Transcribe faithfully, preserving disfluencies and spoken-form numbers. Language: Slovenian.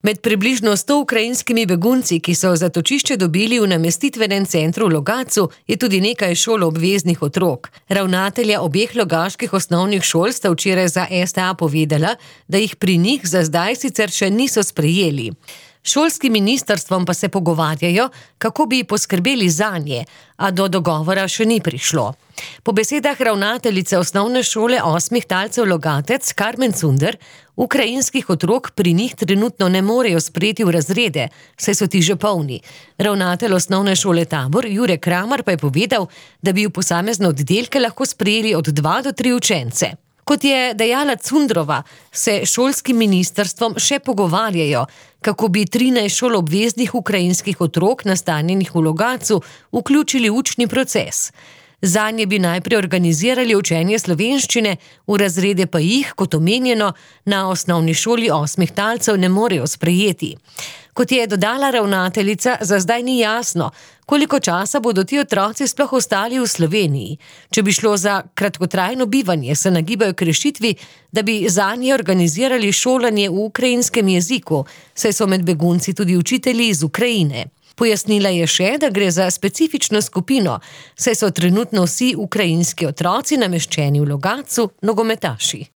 Med približno sto ukrajinskimi begunci, ki so zatočišče dobili v namestitvenem centru v Logatcu, je tudi nekaj šoloobveznih otrok. Ravnatelja obeh logaških osnovnih šol sta včeraj za es te a povedala, da jih pri njih za zdaj sicer še niso sprejeli. Šolskim ministrstvom pa se pogovarjajo, kako bi poskrbeli zanje, a do dogovora še ni prišlo. Po besedah ravnateljice osnovne šole osmih talcev Logatec, Karmen Cunder, ukrajinskih otrok pri njih trenutno ne morejo sprejeti v razrede, saj so ti že polni. Ravnatelj osnovne šole Tabor, Jure Kramar, pa je povedal, da bi v posamezne oddelke lahko sprejeli od dva do tri učence. Kot je dejala Cundrova, se šolskim ministrstvom še pogovarjajo, kako bi trinajst šoloobveznih ukrajinskih otrok nastanjenih v Logatcu vključili v učni proces. Zanje bi najprej organizirali učenje slovenščine, v razrede pa jih, kot omenjeno, na osnovni šoli osmih talcev ne morejo sprejeti. Kot je dodala ravnateljica, za zdaj ni jasno, koliko časa bodo ti otroci sploh ostali v Sloveniji. Če bi šlo za kratkotrajno bivanje, se nagibajo k rešitvi, da bi zanje organizirali šolanje v ukrajinskem jeziku, saj so med begunci tudi učitelji iz Ukrajine. Pojasnila je še, da gre za specifično skupino, saj so trenutno vsi ukrajinski otroci nameščeni v Logatcu nogometaši.